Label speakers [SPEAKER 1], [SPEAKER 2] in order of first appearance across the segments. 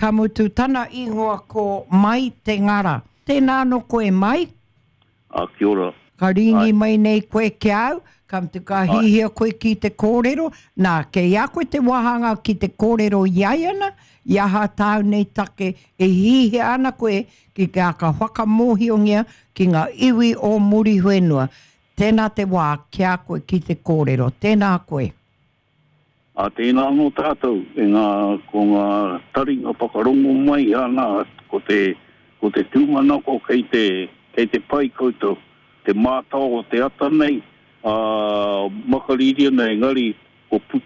[SPEAKER 1] Ka mutu tana ingoa ko Mai Te Ngara. Tēnā anō koe Mai.
[SPEAKER 2] Ā, kia ora.
[SPEAKER 1] Ka rīngi mai nei koe ki a au, ka mutu ka hihia koe ki te kōrero, nā, kei a koe te wāhanga ki te kōrero i ai ana, i aha tāu nei take e hihia ana koe ki te aka whakamōhiongia ki ngā iwi o Muriwhenua. Tēnā te wā ki a koe ki te kōrero. Tēnā koe.
[SPEAKER 2] Ā, tēnā anō tātou e ngā, ko ngā taringa whakarongo mai ana, ko te, ko te tūmanako kei te, kei te pai koutou, te mātao o te ata nei, ā, makariri ana engari ko pu,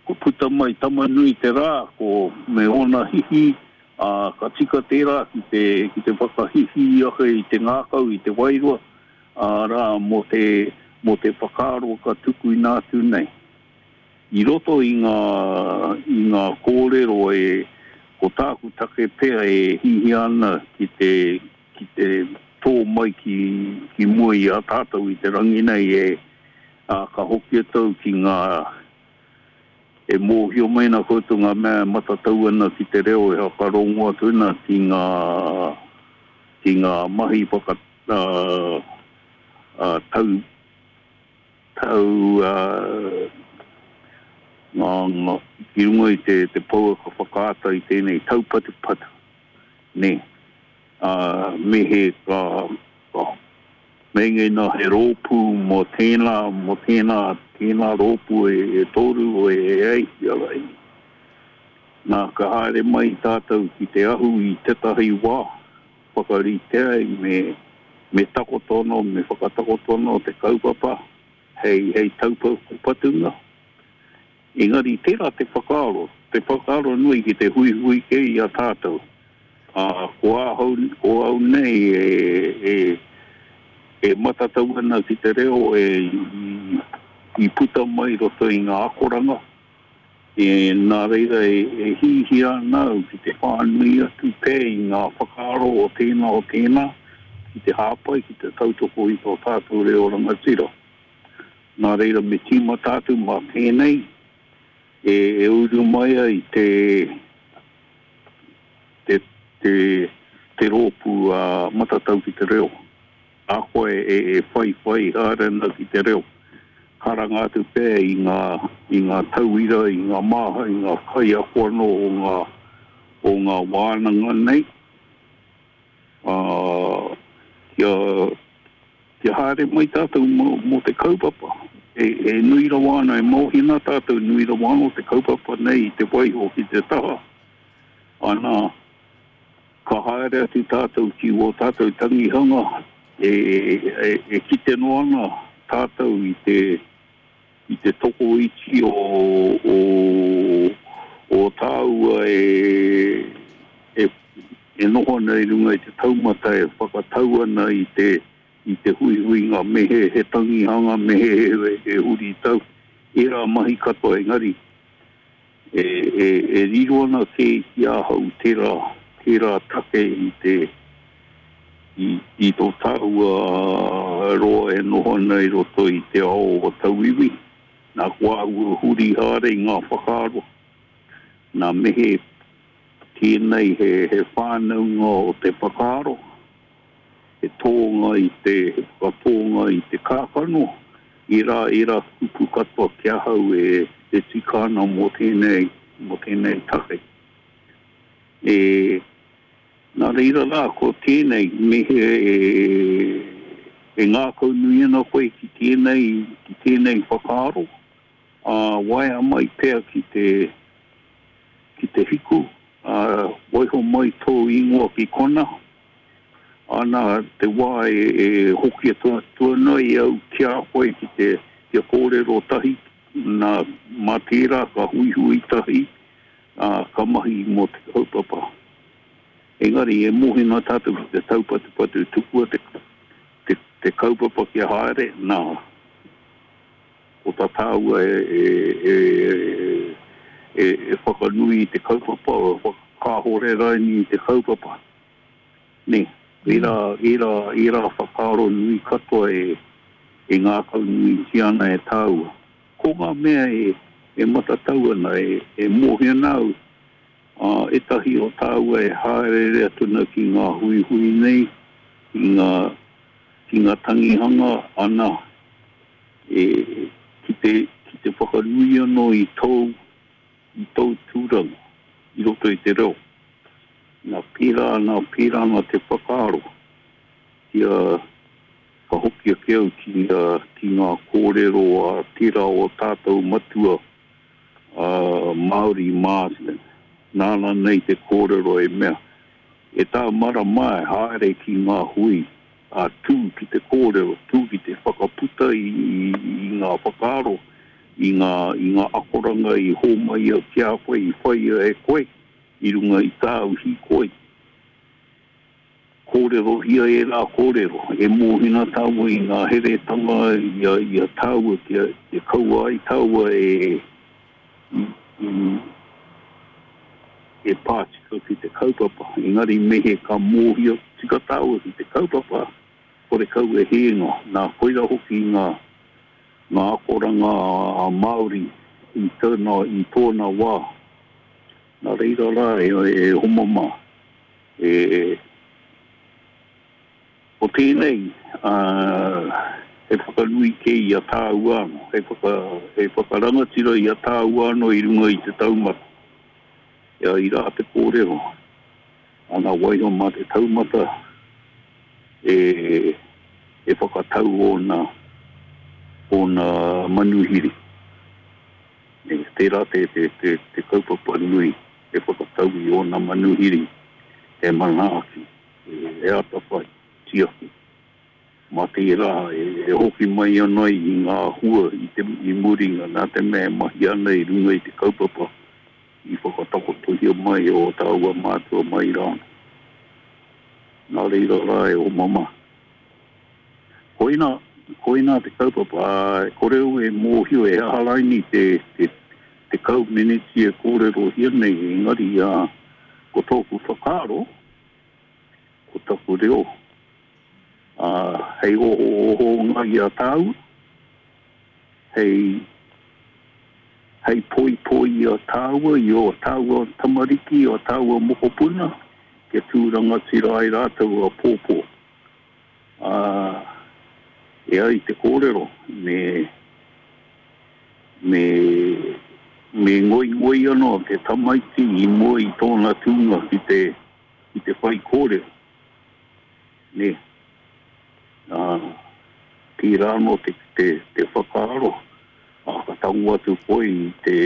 [SPEAKER 2] ko puta mai Tamanui te rā, ko, me ōna hihi, ā, ka tika tērā ki te, ki te whakahihī ake i te ngākau, i te wairua, arā, mō te, mō te whakaaro ka tukuina atu nei. I roto i ngā, i ngā kōrero e, ko tāku take pea e hihia ana ki te, ki te tō mai ki, ki mua i a tātou i te rangi nei e, ā, ka hoki atu au ki ngā, e mōhio mai ana koutou ngā mea e matatau ana ki te reo e whakarongo atu ana ki ngā, ki ngā mahi whaka, ā, tau, tau, ā, ngā, ngā, ki runga i te, te pouaka whakaata i tēnei taupatupatu, nē, ā, me he ka, ka meinga ina he rōpū mō tēnā, mō tēnā, tēnā rōpū e, e toru, e, e ai, ia rai. Nā, ka haere mai tātou ki te ahu i tētahi wā, Whakarite ai me, me takoto anō, me whakatakoto anō te kaupapa hei, hei taupatunga. Engari tērā te whakaaro, te whakaaro nui ki te huihui kē i a tātou. Ā, ko ahau, ko au nei e, e, e matatau ana ki te reo e, i, i puta mai i roto i ngā akoranga, E, nā reira e, e hihia ana au ki te whānui atu pea i ngā whakaaro o tēnā o tēnā, ki te hāpai, ki te tautoko i tō tātou reo rangatira. Nā reira me tīmata atu mā tēnei e, e uru mai ai te, te, te, te rōpū a Matatau ki te Reo. Ahakoa e whaiwhai haere ana ki te reo, karanga atu pea i ngā, i ngā tauira, i ngā māha, i ngā kaiako anō o ngā, o ngā wānanga nei, ā, kia, kia haere mai tātou mō, mō te kaupapa. E, e nui rawa ana, e mōhio ana tātou, nui rawa anō te kaupapa nei i te waiho ki te taha, ana, Ka haere atu tātou ki wō tātou tangihanga e kite noa ana tātou i te, i te tokoiti o, o, o tāua e, e, e noho ana i runga i te taumata e whakatau ana i te, i te huihuinga me he, he tangihanga me he, he, he huritau, ērā mahi katoa engari E riro ana kē ki ahau tērā, tērā take i te, i, i tō tāua roa e noho ana i roto i te ao o tauiwi. Nā, ko āua huri haere i ngā whakaaro, nā me he tēnei he, he whānaunga o te whakaaro, he tōnga i te, he whakatōnga i te kākano, ērā, ērā kupu katoa ki ahau e, e tika ana mō tēnei, mō tēnei take. E, nā reira rā, ko tēnei, me he, e, e ngākaunui ana koe ki tēnei, ki tēnei whakaaro, ā, waea mai pea ki te, ki te hiku, ā, waiho mai tō ingoa ki kona, Ana te wā e hoki atu ana i au ki a koe ki te kia kōrero tahi, nā, mā tērā ka huihui tahi, ā, ka mahi mō te kaupapa. Engari e mōhio ana tātou ki te taupatupatu, tukua te, te, te kaupapa kia haere, nā, ko tā tāua e, e, e, e, e whakanui i te kaupapa, e whakakāhore raini i te kaupapa. Nē, ērā, ērā, ērā whakaaro nui katoa e, e ngākaunuitia ana e tāua. Ko ngā mea e, e matatau ana, e, e mōhio ana au, Ā, ētahi o tāua e hāereere atu ana ki ngā huihui nei, ki ngā, ki ngā tangihanga, ana, e, ki te, ki te whakanui anō i tōu, i tōu tūranga i roto i te reo. Nā, pērā ana, pērā ana te whakaaro kia, ka hoki ake au ki, ki ngā kōrero a tērā o tātou matua, a Māori Marsden, nāna nei te kōrero e mea, E tā marama e haere ki ngā hui, ā, tū ki te kōrero, tū ki te whakaputa i, i ngā whakaaro, i ngā, i ngā akoranga i hōmaia ki a koe, i whaia e koe i runga i tāu hīkoi. Kōrerohia ērā kōrero, e mōhina tāua i ngā heretanga i a, i a tāua kia, kia kaua ai tāua e, i, i, e pā tika ki te kaupapa. Engari mehe ka mōhio tika tāua ki te kaupapa, horekau e hēnga. Nā, koira hoki ngā, ngā akoranga a Māori i tōna, i tōna wā. Nā reira rā e, e homa mā. E, ko tēnei, ā, he whakanui kē i a tāua anō, he whaka, he whakarangatira i a tāua anō i runga i te taumata. Ia i rā te kōrero, ana waiho mā te taumata e, e whakatau ōna, ōna manuhiri. E, tērā te, te, te, te kaupapa nui. He whakatau i ōna manuhiri, he manaaki, he atawhai, tiaki. Mā tērā e hoki mai ana i ngā hua i te i muringa nā te mea e mahi ana i runga i te kaupapa i whakatakotohia mai e ō tāua mātua mai rānō. Nā reira rā e oma mā. Koina, koina te kaupapa, ā, e kore au e mōhio e aha raini te, te, 10 meneti e kōrerohia nei, engari, ā, ko tōku whakaaro, ko taku reo, ā, hei ohoohonga i a tāua, hei, hei poipoi i a tāua, i ō tāua tamariki, i ō tāua mokopuna, kia tū rangatira ai rātou āpōpō. Ā, e ai te kōrero, me, me, me ngoingoi anō te tamaiti i mua i tōna tūnga ki te, ki te whaikōrero, nē. Ā, tērā anō te, te, te whakaaro, ā, ka tango atu koe i te,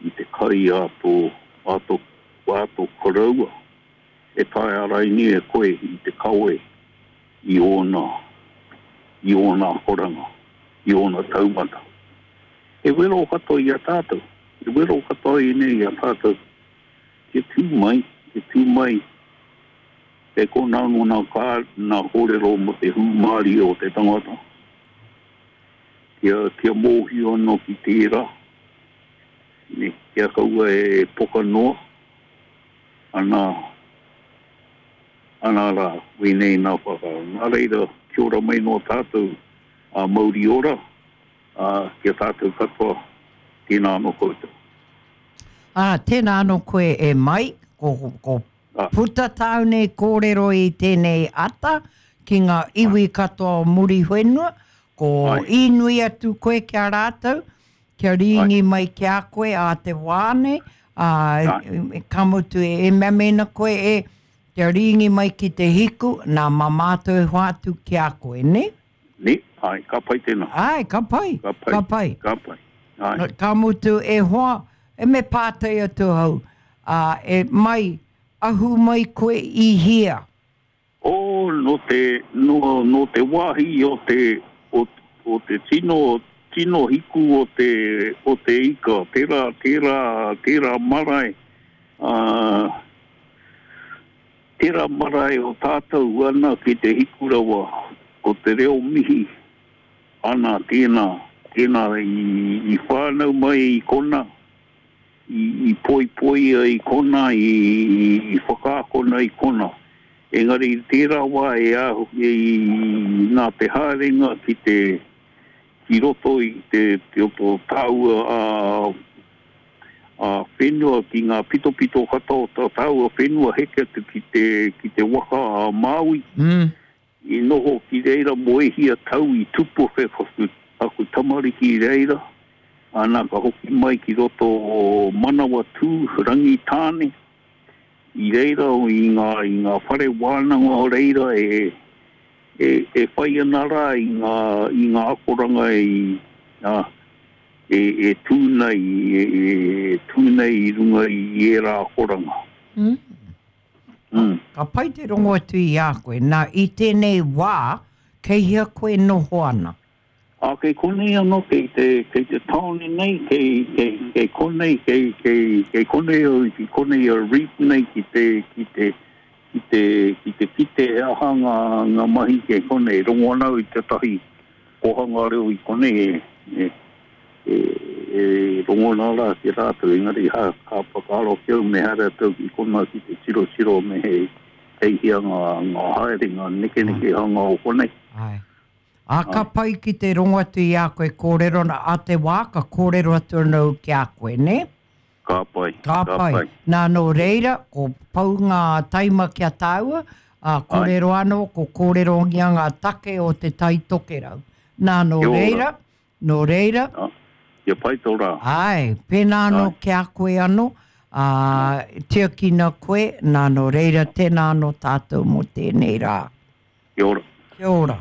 [SPEAKER 2] i te kai a tō, a tō, a tō koroua. E taea raini e koe i te kawe i ōna, i ōna akoranga, i ōna taumata. He wero katoa i a tātou, he wero katoa ēnei i a tātou kia tū mai, kia tū mai kei konā anō nā kā, nā kōrero mō te hūmārie o te tangata, kia, kia mōhio anō ki tērā, nē, kia kaua e poka noa. Ana, ana rā, wēnei nā whakaaro. Nā reira, kia ora mai noa tātou, ā, mauri ora, ā, ki a tātou katoa, tēnā anō koutou.
[SPEAKER 1] Ā, tēnā anō koe e Mai, ko, ko puta tāu nei kōrero i tēnei ata ki ngā iwi katoa o Muriwhenua, ko īnui atu koe ki a rātou, Kia rīngi mai ki a koe ā te wā nei, ā, ka mutu e mea mēnā koe e, kia rīngi mai ki te hiku, nā, mā mātou e hoatu ki a koe, nē?
[SPEAKER 2] Nē, āe, ka pai tēnā.
[SPEAKER 1] Āe, ka pai,
[SPEAKER 2] ka pai,
[SPEAKER 1] ka pai.
[SPEAKER 2] Ka pai, āe.
[SPEAKER 1] Ka mutu, e hoa, e me pātai atu ahau, ā, e mai, ahu mai koe i hea?
[SPEAKER 2] Oh, nō te, nō, nō te wāhi o te, o, o te tino, tino hiku o te, o te ika, tērā, tērā, tērā marae, ā, tērā marae o tātou ana ki te hiku rawa, ko te reo mihi, ana tēnā, tēnā i, i whānau mai i kona, i poipoia i kona, i whakaakona i kona. Engari i tērā wā e ahu, i, nā te haerenga ki te, ki roto i te, te o tō tāua a, Whenua ki ngā pitopito katoa o tā tāua whenua heke atu ki te, ki te waka a Māui.
[SPEAKER 1] Mm.
[SPEAKER 2] I noho ki reira mō e hia tau i tupu ake aku, aku tamariki i reira, ana ka hoki mai ki roto o Manawatū, Rangitāne, i reira i ngā, i ngā whare wānanga o reira e, e, e whai ana rā i ngā, i ngā akoranga i, ā, e, e tū nei, e, e tū nei i runga i ērā akoranga.
[SPEAKER 1] Mm.
[SPEAKER 2] Mm.
[SPEAKER 1] Ka pai te rongo atu i a koe. Nā, i tēnei wā, kei hea koe noho ana?
[SPEAKER 2] Ā, kei konei anō, kei te, kei te tāone nei, kei, kei, kei konei, kei, kei, kei konei au, ki konei a Reef nei ki te, ki te, ki te, ki te kite he aha ngā, ngā mahi kei konei. Rongo ana au i tētahi kōhanga reo i konei e, e, e, e rongona rā ki a rātou, engari ha, ka whakaaro ki au me haere atu au ki konā ki te tirotiro me he kei hea ngā, ngā haerenga nekenekehanga o konei.
[SPEAKER 1] Āe. Ā, ka pai ki te rongo atu i a koe kōrero ana, ā te wā ka kōrero atu anō au ki a koe, nē?
[SPEAKER 2] Ka pai,
[SPEAKER 1] Ka
[SPEAKER 2] ka
[SPEAKER 1] pai.
[SPEAKER 2] pai.
[SPEAKER 1] Nā, nō reira, ko pau ngā taima ki a tāua, ā, kōrero anō, ko kōrerongia ngā take o Te Tai Tokerau. Nā, nō
[SPEAKER 2] Kia ora.
[SPEAKER 1] reira, Nō reira.
[SPEAKER 2] Ā, kia pai tō rā.
[SPEAKER 1] Āe, pēnā anō ki a koe anō, ā, tiakina koe, nā, nō reira, tēnā anō tātou mō tēnei rā.
[SPEAKER 2] Kia ora.
[SPEAKER 1] Kia ora.